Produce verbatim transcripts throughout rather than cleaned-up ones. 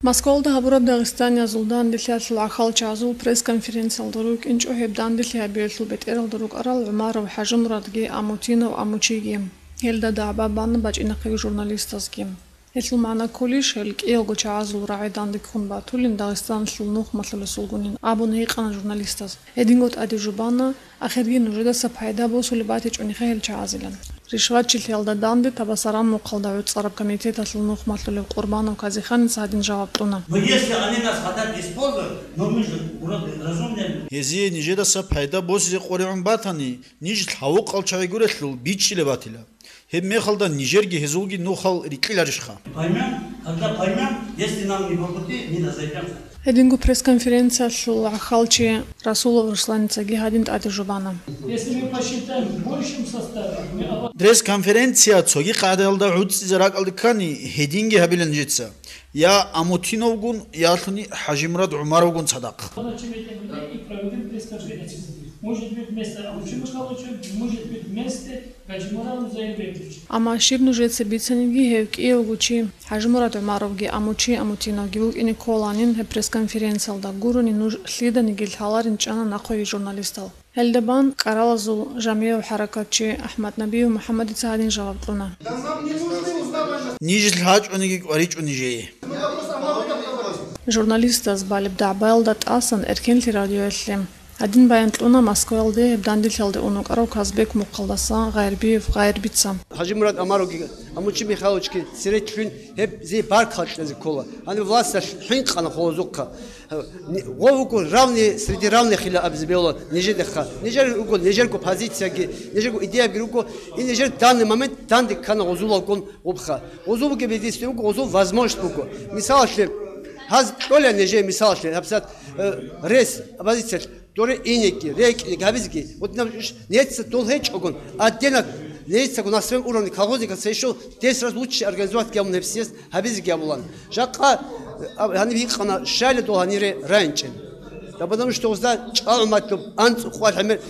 Москвалда гьабураб дагъистаниязул данделъиялъул гӀахьалчагӀазул пресс-конференциялда рукӀинчӀо гьеб данделъи гьабиялъул бетӀералда рукӀарал ГӀумаров ХӀажимурадги Амутинов Амучиги. Гьелда дагӀба бана бачӀинахъеги журналистазги. Гьелъул магӀна кколищ, гьел кӀиялго чагӀазул рагӀи данде ккун батулин Дагъистаналъул нухмалъулесулгунин абун гьикъана журналистаз. Гьединго тӀаде жубана, ахирги нужедаса пайда босулеб батичӀониха гьел чагӀазилан. Ришватчилъиялда данде Табасаран мухъалда гӀуцӀараб комитеталъул нухмалъулев Къурбанов Казиханица гьадин жаваб кьуна. Но если они нас хотят использовать, но мы же вроде разумные люди. Гьезие нижедаса пайда босизе къваригӀун батани, ниж лъавукъал чагӀи гурелъул бичӀчӀилеб батила. Гьеб мехалда нижерги гьезулги нухал рикьиларищха? Поймём, когда поймём, если нам не по пути, не разойдёмся. Гьединго пресс-конференциялъул гӀахьалчи Расулов Русланицаги гьадин тӀаде жубана. Если мы посчитаем в большем составе, мы об- Пресс-конференция цоги къагӀидаялда гӀуцӀизе ракӀалде ккани, гьединги гьабила нижеца. Я Амутиновгун, ялъуни ХӀажимурад ГӀумаровгун цадахъ. Значит, этих людей и проведем пресс-конференцию. Может быть, вместо Амучи Михайловича, может быть, вместо Гаджимурад Заирбековича. Амма щиб нужеца бицаниги, гьев кӀиявго чи, ХӀажимурад ГӀумаровги Амучи Амутиновги вукӀине кколанин гьеб пресс-конференциялда, гурони нуж лъиданиги лъаларин чӀана нахъеги журналистал. Гьелда бан кӀаралазул жамигӀав хӀаракатчи АхӀмад Набиев МухӀаммадица гьадин жаваб кьуна. Нижелъ гьачӀониги кӀваричӀо нижее. Журналистаз балеб дагӀбаялда тӀасан Эркенлъи радиоялъе гьадин баян кьуна Москваялде гьеб данделъиялде ун вукӀарав Казбек мухъалдаса Гъайрбиев Гъайрбица. ХӀажимурад ГӀумаровги Амучи Михайловичги цере лъугьин гьеб зи баркалла кьезе ккола. Гьаниб власталъ хӀинкъана гъозухъа. Гъов вуго равный среди равных-ила абизе бегьула нижедехъа. Нижер руго, нижерго позицияги, нижерго идеяги руго. И нижер данный момент данде ккана гъозулалгун гъубха. Гъозул бугеб единственный буго, гъозул возможность буго. Мисалалъе, гьаз кьола нижее, мисалалъе, гьабсагӀат, э, рес, оппозициялъ, доре инеги, рекӀинеги гьабизеги. Вот наб иш нецаго дол гьечӀогун, отдельно нецаго на своём уровне колхозникаца ещё десять раз лучше организовать гьабун гьеб съезд гьабизеги гьабулан. Жакъа, а, гьаниб гьикъана, щайла дол гьанире райинчӀел. Да потому что гъузда чӀалгӀуматлъуб анцӀукъуал гӀемер,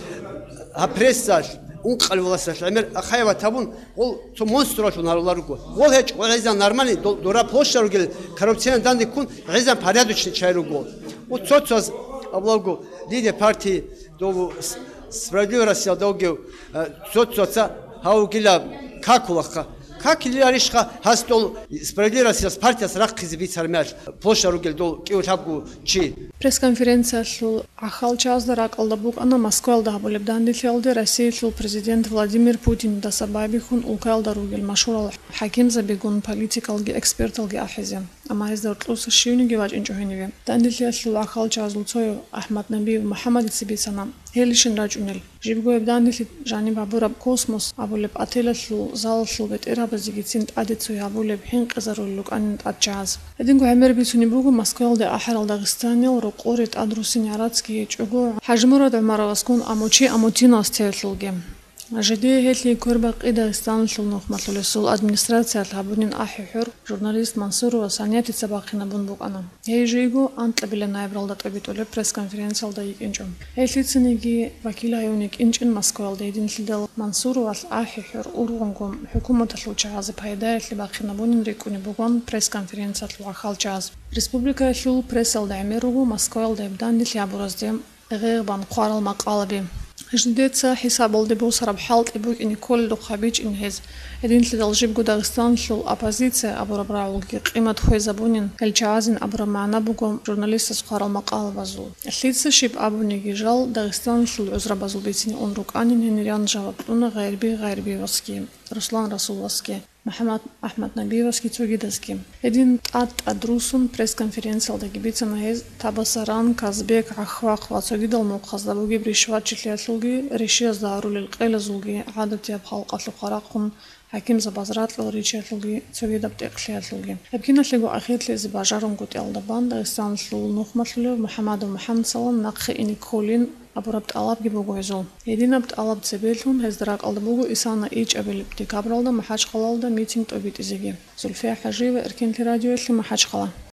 гьаб прессалъ, ункъал власталъ гӀемер ахаяват гьабун, гъол цо монстралъун гьарулел руго. Гъол гьечӀо, гъол гӀезан нормальный, дол-, дора площадь ругел коррупционный данде ккун гӀезан порядочный чагӀи руго. Вот цо-цоз абулаго лидер партии дов с-, Справедливая Россия довгев, э, цо-цоца гьав вугила какулахъа. Какиларищха гьас дол Справедливая Россияс партияс рахъизе бицармиял площадь ругел дол кӀиго-лъабго чи? Пресс-конференциялъул гӀахьалчазда ракӀалда букӀана Москваялда гьабулеб данделъиялде Россиялъул президент Владимир Путиндаса байбихьун улкаялда ругел машгьурал хӀакимзабигун, политикалги эксперталги ахӀизе. Амма гьезда гьоркьоса щивниги вачӀинчӀо гьениве. Данделъиялъул гӀахьалчазул цояв АхӀмад Набиев МухӀаммадица бицана гьелищин рачӀунел. Жибго гьеб данделъи жаниб гьабураб «Космос» абулеб отелалъул залалъул бетӀергьабазегицин тӀаде цой гьабулеб хӀинкъизарулел рукӀанин тӀадчагӀаз. Гьединго гӀемер бицунеб буго Москваялде ахӀарал дагъистаниял рокъоре тӀад руссин гӀарацги гьечӀого ХӀажимурад ГӀумаровасгун Амучи Амутиновас теялъулги. Жидее гьелъие квербакъи Дагъистаналъул нухмалъулесул администрациялъ гьабунин ахӀи-хӀур журналист Мансурова Саниятица бахъинабун букӀана. Гьей жийго анкьабилеб ноябралда тӀобитӀулеб пресс-конференциялда йикӀинчӀо. Гьей лъицаниги вакил гьаюн йикӀинчӀин Москваялда гьединлъидал Мансуровалъ ахӀи-хӀур ургъунгун хӀукуматалъул чагӀазе пайдаялъе бахъинабунин рикӀкӀунеб бугон пресс-конференциялъул гӀахьалчагӀаз. Республикаялъул прессалда гӀемер руго Москваялда гьеб данделъи гьабуразде гъегъбан хъварал макъалаби. Жидеца хӀисабалде босараб хӀалтӀи букӀине кколелдухъ гьабичӀин гьез. Гьединлъидал жибго Дагъистаналъул оппозиция абураб рагӀулги къимат хвезабунин, гьел чагӀазин абураб магӀна буго журналистас хъварал макъалабазул. Лъица щиб абуниги жал Дагъистаналъул гӀузрабазул бицине ун рукӀанин гьениран жаваб кьуна Гъайрби Гъайрбиевасги, Руслан Расуловасги, МухӀаммад АхӀмад Набиевасги цогидазги. Гьедин тӀад-тӀад руссун пресс-конференциялдаги бицана гьез Табасаран, Казбек, ГӀахвахъ ва цогидал мухъазда бугеб ришватчилъиялъулги, ришиязда гьарулел къелазулги, гӀадатияб халкъалъухъа рахъун хӀакимзабаз ракьал ричиялъулги, цогидаб тӀекълъиялъулги. Гьеб киналъего ахирлъизе бажарунгутӀиялда бан Дагъистаналъул нухмалъулев МухӀаммадов МухӀаммадсалам нахъе ине кколин абураб тӀалабги буго гьезул. Гьединаб тӀалаб цебелъун гьезда ракӀалда буго исана ичӀабилеб декабралда МахӀачхъалалда митинг тӀобитӀизеги. Зульфия ХӀажиева, Эркенлъи радиоялъе, МахӀачхъала.